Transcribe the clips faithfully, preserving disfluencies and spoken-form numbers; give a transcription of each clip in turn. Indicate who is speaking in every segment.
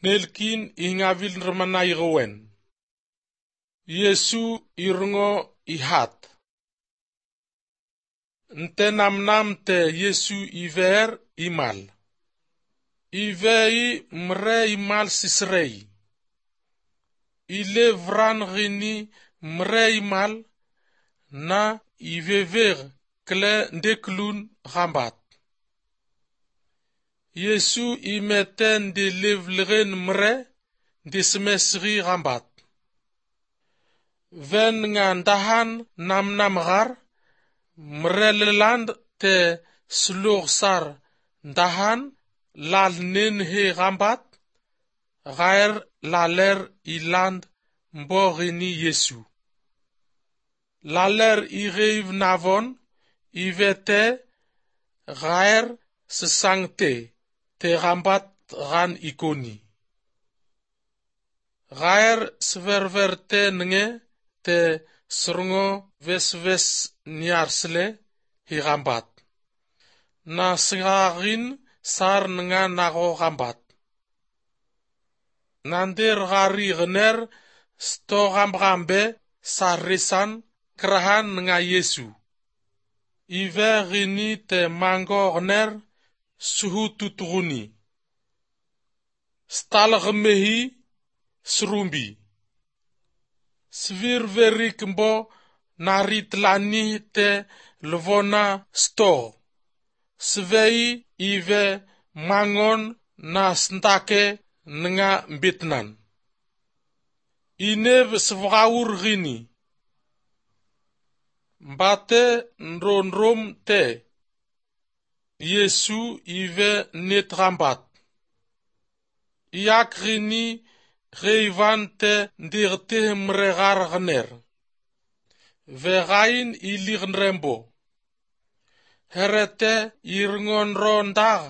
Speaker 1: Nelkin ingavil nrmana igowen. Yesu irngo ihat. Nte namnam te Yesu iver imal. Ivei mre imal sisrei. Ile vran ghini mre imal na ivever kle ndeklun ghambat. Yesu imete ndelevleghen mre ndesmesghi ghambat. Ven nga ndahan namnam ghar, mre leland te slughsar ndahan lal nen he ghambat, ghaer laler iland mbo ghini Yesu. Laler igheiv navon, ivete ghaer sesangte te ghambat ghan ikoni. Ghaer seververte nge te srngo vesves niarsle hi ghambat. Na sgaghin sar nga nagho ghambat. Nander ghari ghner sto ghambghambe sar resan krahan nga Yesu. Ive ghini te mango ghner suhututghuni. Stal ghemehi srumbi. Svirverik mbo naritlanih te lvona stogh. Svei ive mangon na sndake nga mbetnan. Inev svghawur ghini. Mbate nromrom te Yesu ive net ghambat. Iyak ghini gheivan te ndeghte mre ghar ghner. Ve ghain iligh nrembo. Herete irngo nro ndagh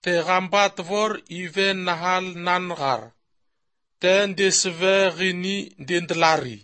Speaker 1: te ghambat vor ive nahal nan ghar. Te ndesve ghini ndendlari.